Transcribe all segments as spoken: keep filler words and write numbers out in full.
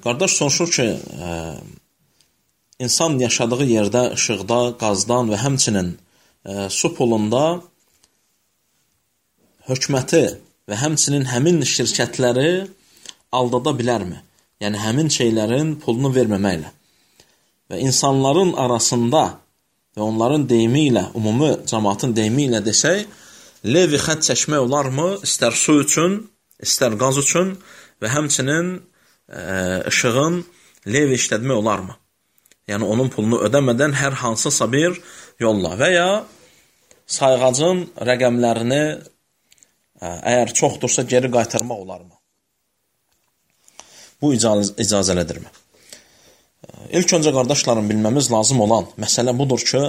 qardaş soruşur ki, ə, insan yaşadığı yerdə işıqda, qazdan və həmçinin ə, su pulunda hökuməti və həmçinin həmin şirkətləri aldada bilərmi? Yəni, həmin şeylərin pulunu verməməklə. Və insanların arasında və onların deyimi ilə, ümumi cəmaatın deyimi ilə desək, levi xət çəkmək olarmı? İstər su üçün, istər qaz üçün və həmçinin ə, işığın levi işlətmək olarmı? Yəni, onun pulunu ödəmədən hər hansısa bir yolla və ya sayğacın rəqəmlərini ə, əgər çoxdursa geri qaytarmaq olarmı? Bu icaz icazəlidirmi? İlk öncə qardaşlarım bilməmiz lazım olan məsələ budur ki,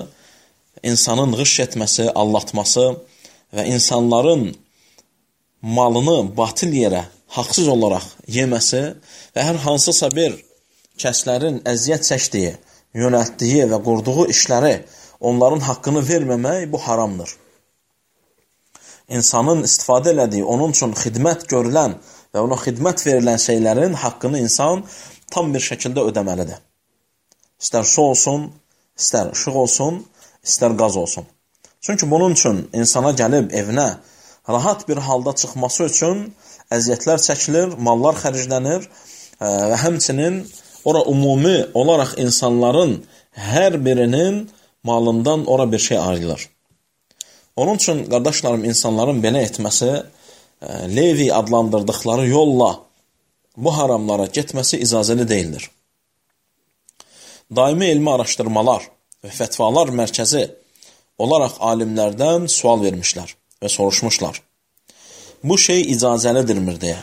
insanın qış etməsi, allatması və insanların malını batil yerə haqsız olaraq yeməsi və hər hansısa bir kəslərin əziyyət çəkdiyi, yönəltdiyi və qurduğu işləri onların haqqını verməmək bu haramdır. İnsanın istifadə elədiyi, onun üçün xidmət görülən və ona xidmət verilən şeylərin haqqını insan tam bir şəkildə ödəməlidir. İstər su olsun, istər işıq olsun, istər qaz olsun. Çünki bunun üçün insana gəlib evinə rahat bir halda çıxması üçün əziyyətlər çəkilir, mallar xərclənir və həmçinin ora ümumi olaraq insanların hər birinin malından ora bir şey ayrılır. Onun üçün, qardaşlarım, insanların belə etməsi, levi adlandırdıqları yolla bu haramlara getməsi icazəli deyildir. Daimi elmi araşdırmalar və fətvalar mərkəzi olaraq alimlərdən sual vermişlər və soruşmuşlar. Bu şey icazəlidirmir deyə.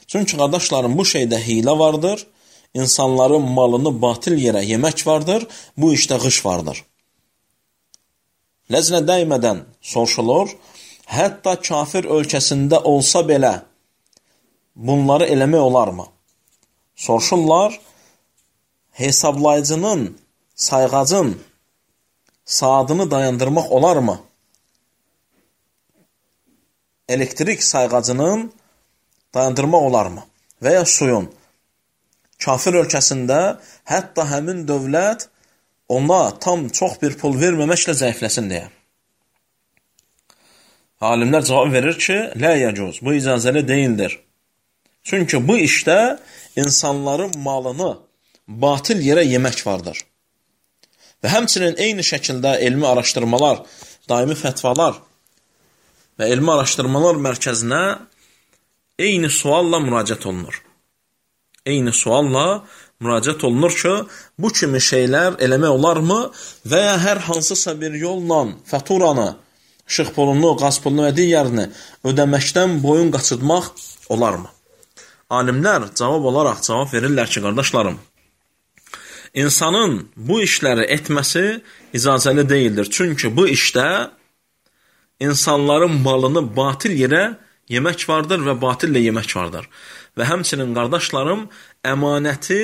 Çünki, qardaşlarım, bu şeydə hilə vardır, insanların malını batil yerə yemək vardır, bu işdə qış vardır. Ləznə dəymədən soruşulur, hətta kafir ölkəsində olsa belə bunları eləmək olarmı? Soruşurlar, hesablayıcının, sayğacın saatını dayandırmaq olarmı? Elektrik sayğacının dayandırmaq olarmı? Və ya suyun. Kafir ölkəsində hətta həmin dövlət ona tam çox bir pul verməməklə zəifləsin deyə. Alimlər cavab verir ki, lə yəcuz, bu icazəli deyildir. Çünki bu işdə insanların malını batil yerə yemək vardır. Və həmçinin eyni şəkildə elmi araşdırmalar, daimi fətvalar və elmi araşdırmalar mərkəzinə eyni sualla müraciət olunur. Eyni sualla müraciət olunur ki, bu kimi şeylər eləmək olarmı və ya hər hansısa bir yolla faturanı, işıq pulunu, qaz pulunu və digərini ödəməkdən boyun qaçırtmaq olarmı? Alimlər cavab olaraq cavab verirlər ki, qardaşlarım, insanın bu işləri etməsi icazəli deyildir. Çünki bu işdə insanların malını batil yerə yemək vardır və batillə yemək vardır. Və həmçinin, qardaşlarım, əmanəti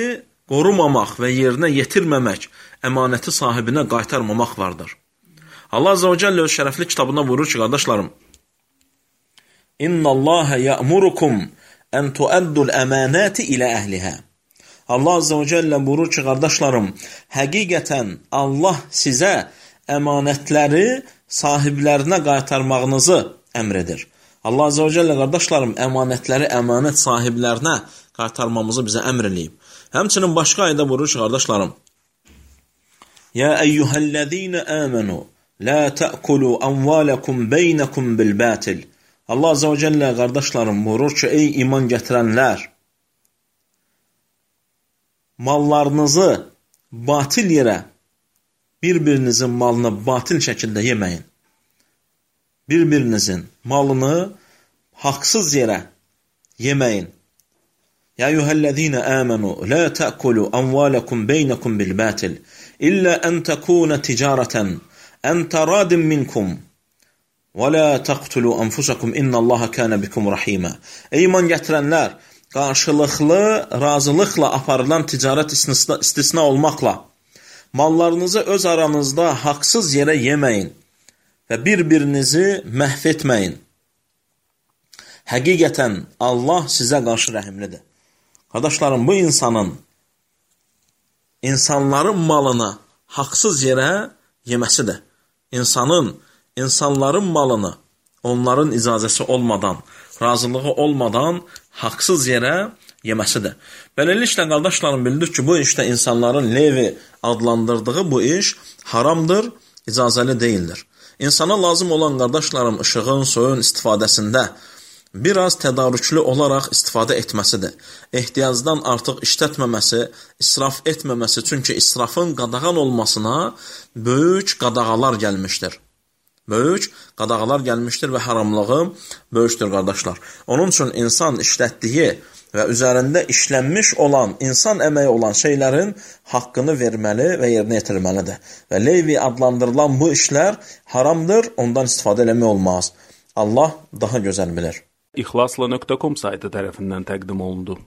qorumamaq və yerinə yetirməmək, əmanəti sahibinə qaytarmamaq vardır. Allah Azze və Cəllə öz şərəfli kitabına buyurur ki, qardaşlarım, İnna Allaha ya'murukum ən tuəddul əmanəti ilə əhlihə. Allah Azze və Cəllə buyurur ki, qardaşlarım, həqiqətən Allah sizə əmanətləri sahiblərinə qaytarmağınızı əmr edir. Allah Azze və Cəllə, qardaşlarım, əmanətləri əmanət sahiblərinə qaytarmamızı bizə əmr eləyib. Həmçinin başqa ayda buyurur ki, qardaşlarım, Ya eyyuhəl-ləzīnə əmənu, lə tə'kulu əmvələkum beynəkum bil-bətil. Allah Azze və Cəllə, qardaşlarım, buyurur ki, ey iman gətirənlər, mallarınızı batil yerə, bir-birinizin malını batil şəkildə yeməyin. Bir-birinizin malını haqsız yerə yeməyin. Ya eyyuhəl-ləzīnə əmənu, lə tə'kulu əmvələkum beynəkum bil-bətil, illə ən təkунə ticarətən, ən təradin minkum, və lə təqtulu ənfusakum, innallaha kənə bikum rəhimə. Ey iman gətirənlər, qarşılıqlı, razılıqla aparılan ticarət istisna, istisna olmaqla, mallarınızı öz aranızda haqsız yerə yeməyin və bir-birinizi məhv etməyin. Həqiqətən Allah sizə qarşı rəhimlidir. Qardaşlarım, bu insanın insanların malını haqsız yerə yeməsidir. İnsanın, insanların malını onların icazəsi olmadan, razılığı olmadan haqsız yerə yeməsidir. Beləliklə, qardaşlarım, bildik ki, bu işdə insanların Levi adlandırdığı bu iş haramdır, icazəli deyildir. İnsana lazım olan, qardaşlarım, işığın, suyun istifadəsində biraz tədarüklü olaraq istifadə etməsidir. Ehtiyacdan artıq işlətməməsi, israf etməməsi, çünki israfın qadağan olmasına böyük qadağalar gəlmişdir. Böyük qadağalar gəlmişdir və haramlığı böyükdür, qardaşlar. Onun üçün insan işlətdiyi və üzərində işlənmiş olan, insan əməyi olan şeylərin haqqını verməli və yerinə yetirməlidir. Və Levi adlandırılan bu işlər haramdır, ondan istifadə eləmək olmaz. Allah daha gözəl bilir. İxlasla nöqtə com saytı tərəfindən təqdim olundu.